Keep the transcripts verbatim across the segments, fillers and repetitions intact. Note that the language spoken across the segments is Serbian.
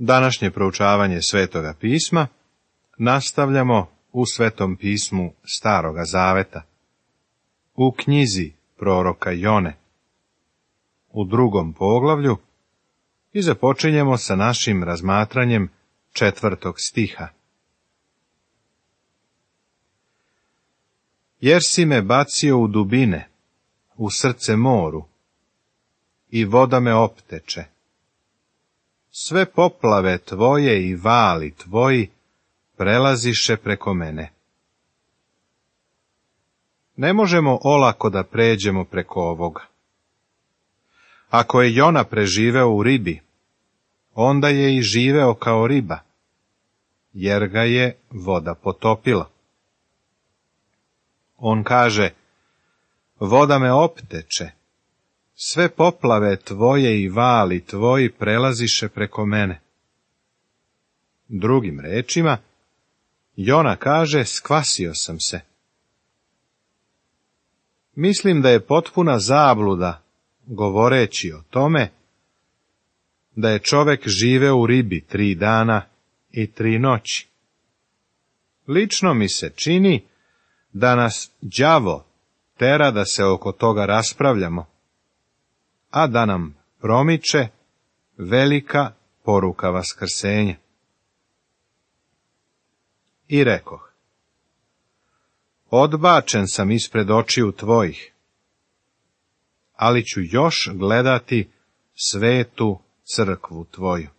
Današnje proučavanje Svetoga pisma nastavljamo u Svetom pismu Staroga zaveta, u knjizi proroka Jone, u drugom poglavlju, i započinjemo sa našim razmatranjem četvrtog stiha. Jer si me bacio u dubine, u srce moru, i voda me opteče. Sve poplave tvoje i vali tvoji prelaziše preko mene. Ne možemo olako da pređemo preko ovoga. Ako je Jona preživeo u ribi, onda je i živeo kao riba, jer ga je voda potopila. On kaže, voda me opteče, sve poplave tvoje i vali tvoji prelaziše preko mene. Drugim rečima, Jona kaže, skvasio sam se. Mislim da je potpuna zabluda, govoreći o tome, da je čovek živeo u ribi tri dana i tri noći. Lično mi se čini da nas đavo tera da se oko toga raspravljamo, a da nam promiče velika poruka vaskrsenja. I rekoh, odbačen sam ispred očiju tvojih, ali ću još gledati svetu crkvu tvoju.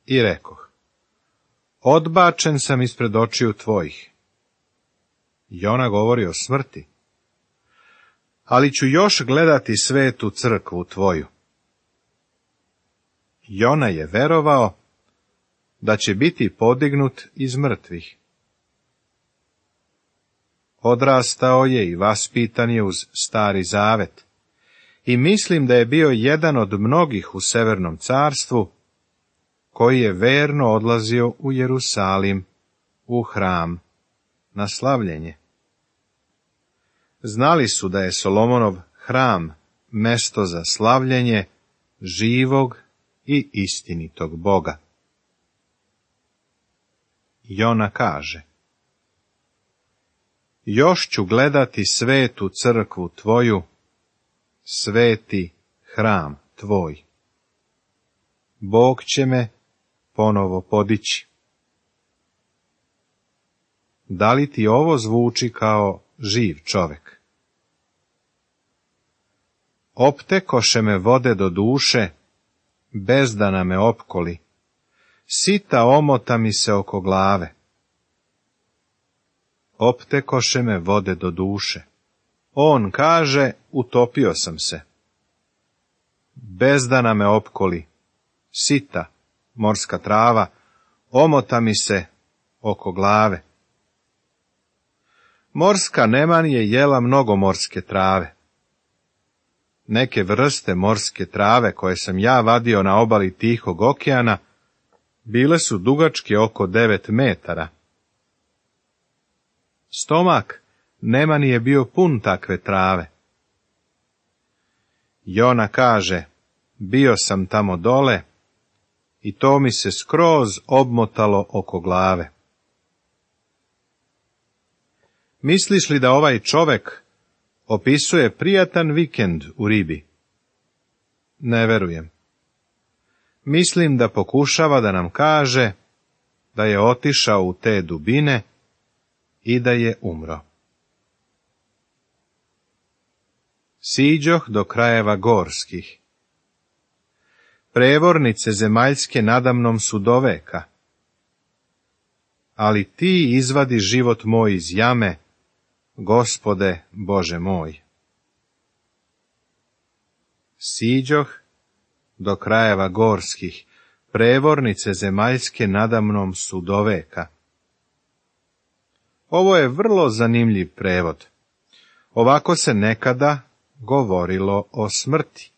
I rekoh, odbačen sam ispred očiju tvojih. Jona govori o smrti, ali ću još gledati svetu crkvu tvoju. Jona je verovao da će biti podignut iz mrtvih. Odrastao je i vaspitan je uz Stari zavet, i mislim da je bio jedan od mnogih u Severnom carstvu, koji je verno odlazio u Jerusalim, u hram, na slavljenje. Znali su da je Solomonov hram mesto za slavljenje živog i istinitog Boga. Jona kaže, još ću gledati svetu crkvu tvoju, sveti hram tvoj. Bog će me ponovo podići. Da li ti ovo zvuči kao živ čovek? Optekoše me vode do duše, bezdana me opkoli, sita omota mi se oko glave. Optekoše me vode do duše. On kaže, utopio sam se. Bezdana me opkoli, sita, morska trava, omota mi se oko glave. Morska neman je jela mnogo morske trave. Neke vrste morske trave koje sam ja vadio na obali Tihog okeana bile su dugačke oko devet metara. Stomak neman je bio pun takve trave. Jona kaže, bio sam tamo dole i to mi se skroz obmotalo oko glave. Misliš li da ovaj čovek opisuje prijatan vikend u ribi? Ne verujem. Mislim da pokušava da nam kaže da je otišao u te dubine i da je umro. Siđoh do krajeva gorskih. Prevornice zemaljske nadamnom su doveka. Ali ti izvadi život moj iz jame, Gospode Bože moj. Siđoh do krajeva gorskih, prevornice zemaljske nadamnom su doveka. Ovo je vrlo zanimljiv prevod. Ovako se nekada govorilo o smrti.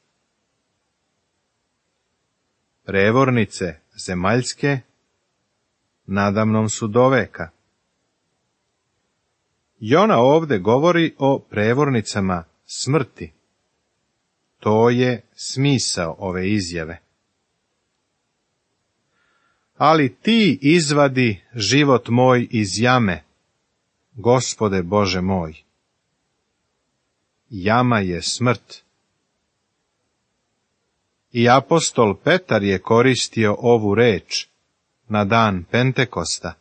Prevornice zemaljske nadamnom su doveka. Jona ovde govori o prevornicama smrti. To je smisao ove izjave. ali ti izvadi život moj iz jame, Gospode Bože moj. Jama je smrt. I apostol Petar je koristio ovu reč na dan Pentekosta,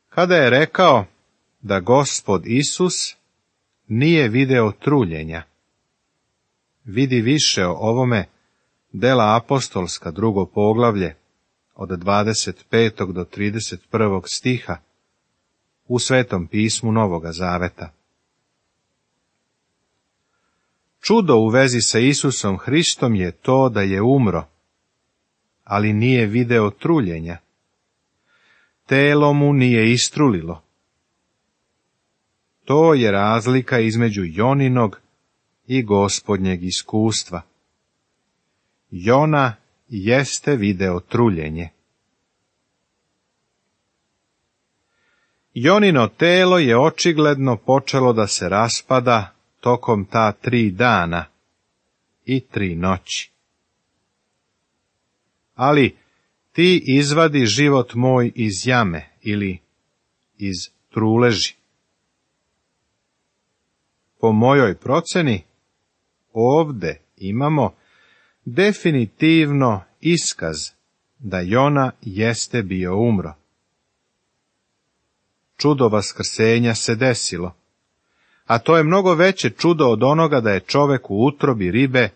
kada je rekao da Gospod Isus nije video truljenja. Vidi više o ovome Dela apostolska, drugo poglavlje, od dvadeset petog do trideset prvog stiha, u Svetom pismu Novoga Zaveta. Čudo u vezi sa Isusom Hristom je to da je umro, ali nije video truljenja. Telo mu nije istrulilo. To je razlika između Joninog i Gospodnjeg iskustva. Jona jeste video truljenje. Jonino telo je očigledno počelo da se raspada tokom ta tri dana i tri noći. Ali ti izvadi život moj iz jame ili iz truleži. Po mojoj proceni, ovde imamo definitivno iskaz da Jona jeste bio umro. Čudo vaskrsenja se desilo, a to je mnogo veće čudo od onoga da je čovek u utrobi ribe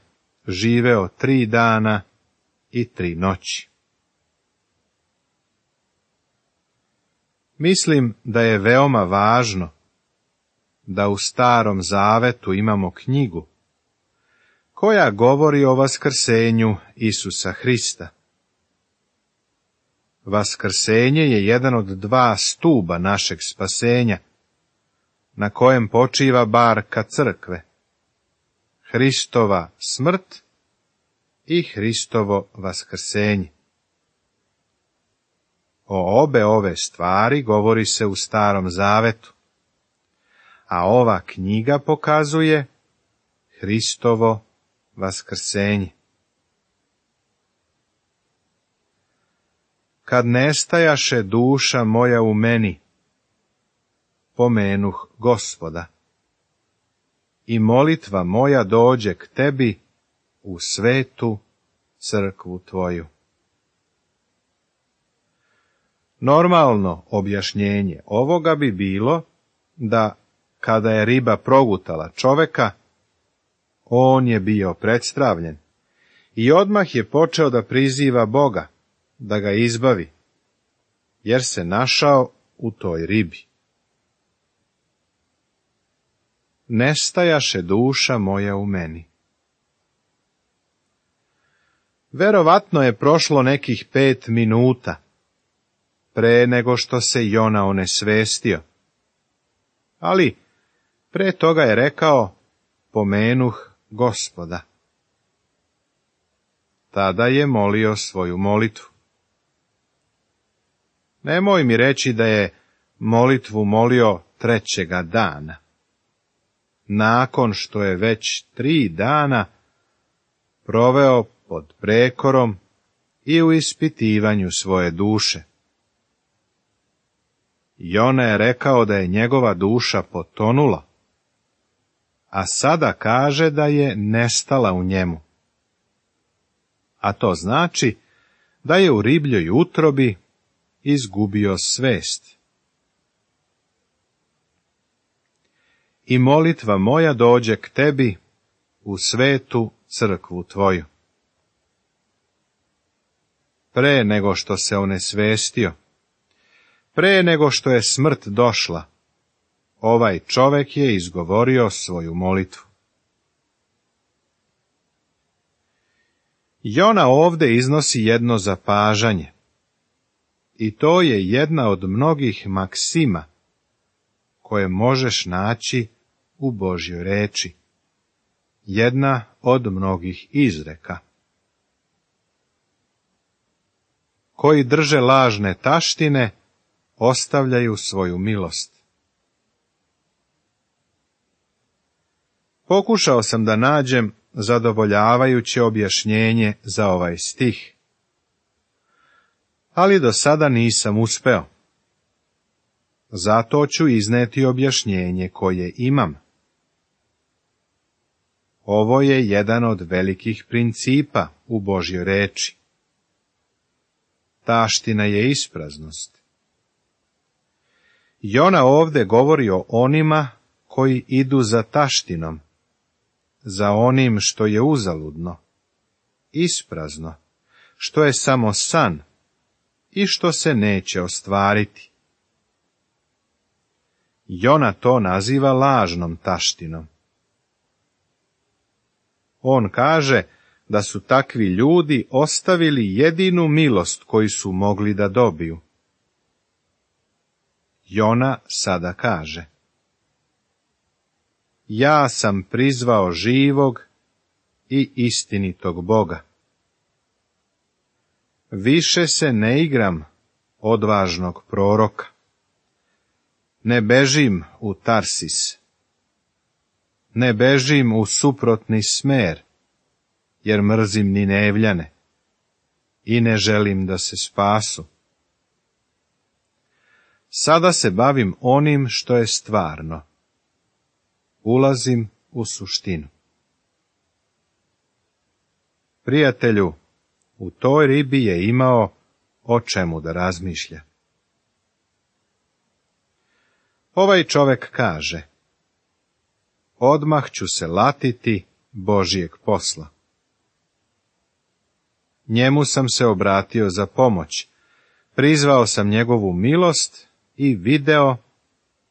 živeo tri dana i tri noći. Mislim da je veoma važno da u Starom Zavetu imamo knjigu koja govori o vaskrsenju Isusa Hrista. Vaskrsenje je jedan od dva stuba našeg spasenja, na kojem počiva barka crkve, Hristova smrt i Hristovo vaskrsenje. O obe ove stvari govori se u Starom Zavetu, a ova knjiga pokazuje Hristovo vaskrsenje. Kad nestajaše duša moja u meni, pomenuh Gospoda, i molitva moja dođe k tebi u svetu crkvu tvoju. Normalno objašnjenje ovoga bi bilo da kada je riba progutala čoveka, on je bio predstavljen i odmah je počeo da priziva Boga, da ga izbavi, jer se našao u toj ribi. Nestajaše duša moja u meni. Verovatno je prošlo nekih pet minuta pre nego što se Jona onesvestio, ali pre toga je rekao, pomenuh Gospoda. Tada je molio svoju molitvu. Nemoj mi reći da je molitvu molio trećega dana, nakon što je već tri dana proveo pod prekorom i u ispitivanju svoje duše. Jona je rekao da je njegova duša potonula, a sada kaže da je nestala u njemu. A to znači da je u ribljoj utrobi izgubio svest. I molitva moja dođe k tebi u svetu crkvu tvoju. Pre nego što se onesvestio, pre nego što je smrt došla, ovaj čovek je izgovorio svoju molitvu. Jona ovde iznosi jedno zapažanje, i to je jedna od mnogih maksima koje možeš naći u Božjoj reči, jedna od mnogih izreka. Koji drže lažne taštine, ostavljaju svoju milost. Pokušao sam da nađem zadovoljavajuće objašnjenje za ovaj stih, ali do sada nisam uspeo. Zato ću izneti objašnjenje koje imam. Ovo je jedan od velikih principa u Božjoj reči. Taština je ispraznost. Jona ovde govori o onima koji idu za taštinom, za onim što je uzaludno, isprazno, što je samo san i što se neće ostvariti. Jona to naziva lažnom taštinom. On kaže da su takvi ljudi ostavili jedinu milost koju su mogli da dobiju. Jona sada kaže: ja sam prizvao živog i istinitog Boga. Više se ne igram odvažnog proroka. Ne bežim u Tarsis. Ne bežim u suprotni smer, jer mrzim Ninevljane i ne želim da se spasu. Sada se bavim onim što je stvarno. Ulazim u suštinu. Prijatelju, u toj ribi je imao o čemu da razmišlja. Ovaj čovek kaže: odmah ću se latiti Božijeg posla. Njemu sam se obratio za pomoć, prizvao sam njegovu milost i video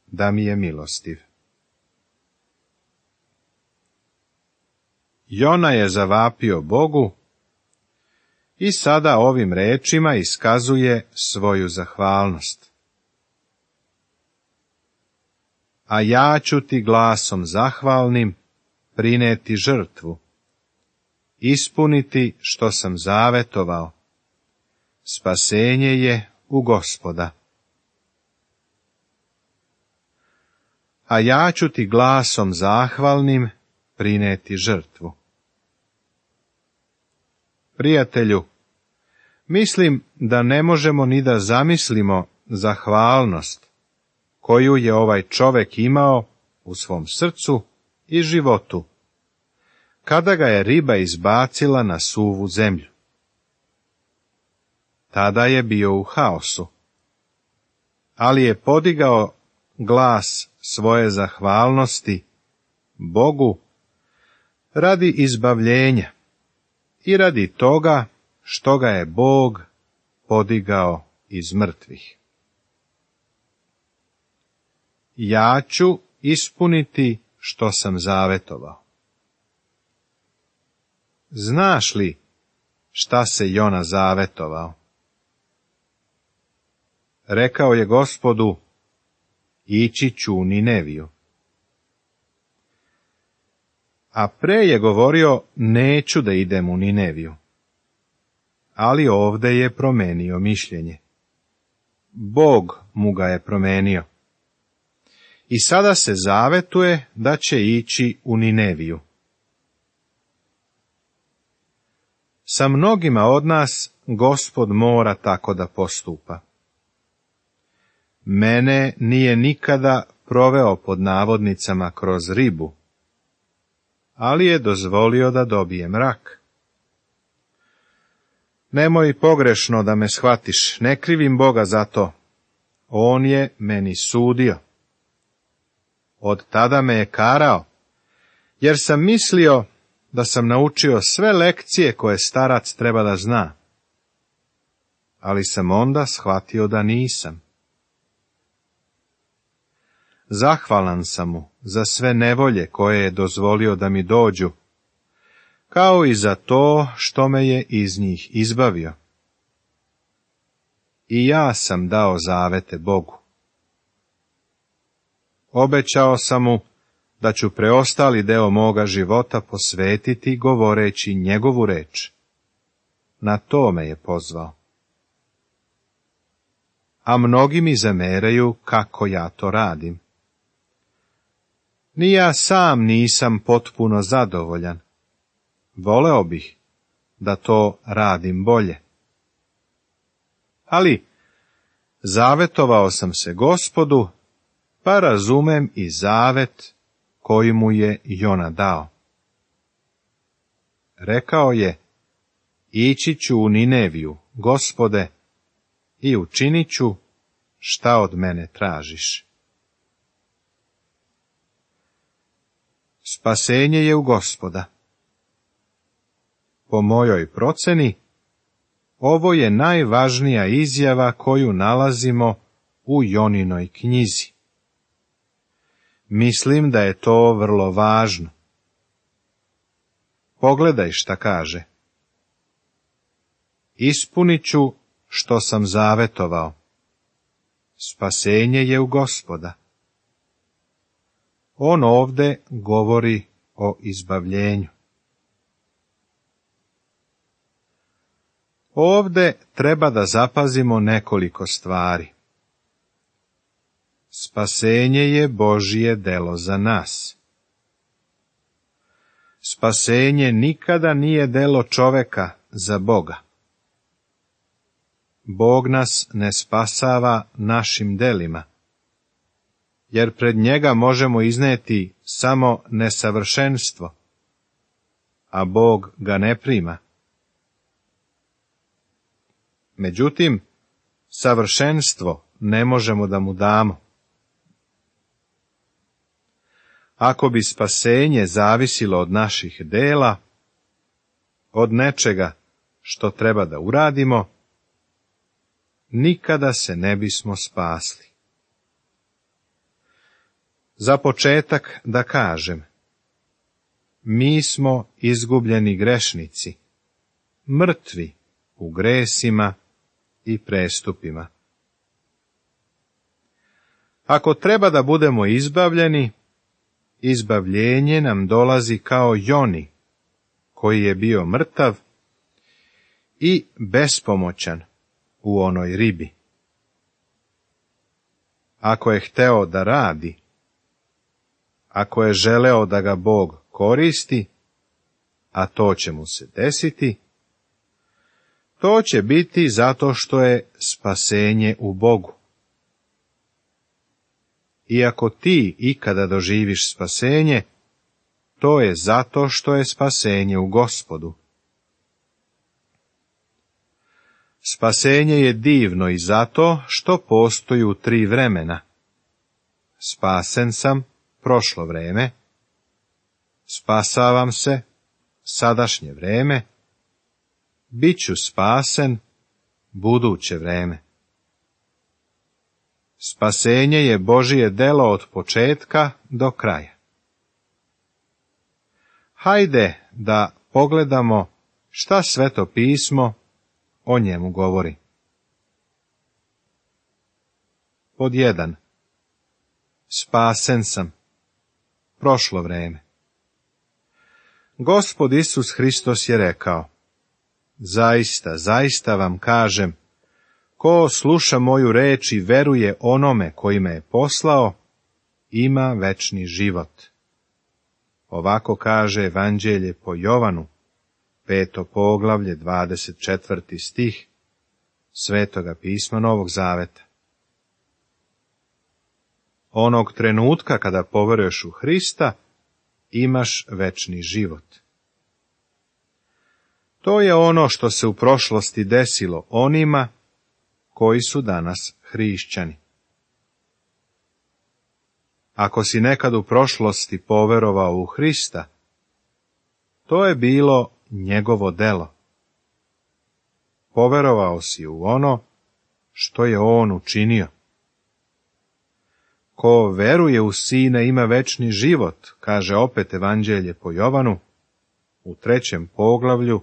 da mi je milostiv. Jona je zavapio Bogu i sada ovim rečima iskazuje svoju zahvalnost. A ja ću ti glasom zahvalnim prineti žrtvu, ispuniti što sam zavetovao. Spasenje je u Gospoda. A ja ću ti glasom zahvalnim prineti žrtvu. Prijatelju, mislim da ne možemo ni da zamislimo zahvalnost koju je ovaj čovek imao u svom srcu i životu, kada ga je riba izbacila na suvu zemlju. Tada je bio u haosu, ali je podigao glas svoje zahvalnosti Bogu radi izbavljenja i radi toga što ga je Bog podigao iz mrtvih. Ja ću ispuniti što sam zavetovao. Znaš li šta se Jona zavetovao? Rekao je Gospodu: ići ću u Nineviju. A pre je govorio: neću da idem u Nineviju. Ali ovde je promenio mišljenje. Bog mu ga je promenio. I sada se zavetuje da će ići u Nineviju. Sa mnogima od nas Gospod mora tako da postupa. Mene nije nikada proveo pod navodnicama kroz ribu, ali je dozvolio da dobijem rak. Nemoj pogrešno da me shvatiš, ne krivim Boga za to. On je meni sudio. Od tada me je karao, jer sam mislio da sam naučio sve lekcije koje starac treba da zna. Ali sam onda shvatio da nisam. Zahvalan sam mu za sve nevolje koje je dozvolio da mi dođu, kao i za to što me je iz njih izbavio. I ja sam dao zavete Bogu. Obećao sam mu da ću preostali deo moga života posvetiti govoreći njegovu reč. Na to me je pozvao. A mnogi mi zameraju kako ja to radim. Ni ja sam nisam potpuno zadovoljan. Voleo bih da to radim bolje. ali zavetovao sam se Gospodu, pa razumem i zavet koji mu je Jona dao. Rekao je, ići ću u Nineviju, Gospode, i učinit ću šta od mene tražiš. Spasenje je u Gospoda. Po mojoj proceni, ovo je najvažnija izjava koju nalazimo u Joninoj knjizi. Mislim da je to vrlo važno. Pogledaj šta kaže. Ispunit ću što sam zavetovao. Spasenje je u Gospoda. On ovde govori o izbavljenju. Ovde treba da zapazimo nekoliko stvari. Spasenje je Božje delo za nas. Spasenje nikada nije delo čoveka za Boga. Bog nas ne spasava našim delima, jer pred njega možemo izneti samo nesavršenstvo, a Bog ga ne prima. Međutim, savršenstvo ne možemo da mu damo. Ako bi spasenje zavisilo od naših dela, od nečega što treba da uradimo, nikada se ne bismo spasli. Za početak da kažem, mi smo izgubljeni grešnici, mrtvi u gresima i prestupima. Ako treba da budemo izbavljeni, izbavljenje nam dolazi kao Joni, koji je bio mrtav i bespomoćan u onoj ribi. Ako je hteo da radi, ako je želeo da ga Bog koristi, a to će mu se desiti, to će biti zato što je spasenje u Bogu. I ako ti ikada doživiš spasenje, to je zato što je spasenje u Gospodu. Spasenje je divno i zato što postoji u tri vremena. Spasen sam, prošlo vreme, spasavam se, sadašnje vreme, bit ću spasen, buduće vreme. Spasenje je Božije delo od početka do kraja. Hajde da pogledamo šta Sveto pismo o njemu govori. Pod jedan. Spasen sam, prošlo vreme. Gospod Isus Hristos je rekao, zaista, zaista vam kažem, ko sluša moju reč i veruje onome koji me je poslao, ima večni život. Ovako kaže Evanđelje po Jovanu, peto poglavlje, dvadeset četvrti stih, Svetoga pisma Novog Zaveta. Onog trenutka kada poveruješ u Hrista, imaš večni život. To je ono što se u prošlosti desilo onima koji su danas hrišćani. Ako si nekad u prošlosti poverovao u Hrista, to je bilo njegovo delo. Poverovao si u ono što je on učinio. Ko veruje u Sina ima večni život, kaže opet Evanđelje po Jovanu, u trećem poglavlju,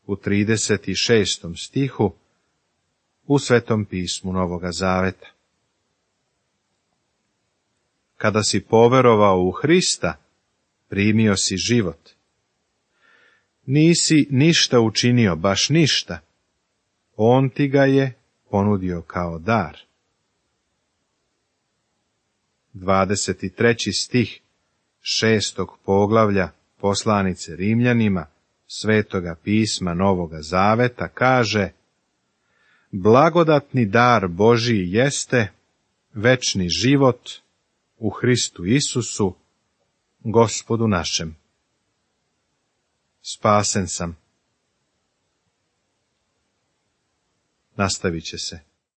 u trideset šestom stihu, u Svetom pismu Novoga Zaveta. Kada si poverovao u Hrista, primio si život. Nisi ništa učinio, baš ništa. On ti ga je ponudio kao dar. dvadeset treći stih šestog poglavlja poslanice Rimljanima, Svetoga pisma Novoga Zaveta kaže: Blagodatni dar Božiji jeste večni život u Hristu Isusu, Gospodu našem. Spasen sam. Nastavit će se.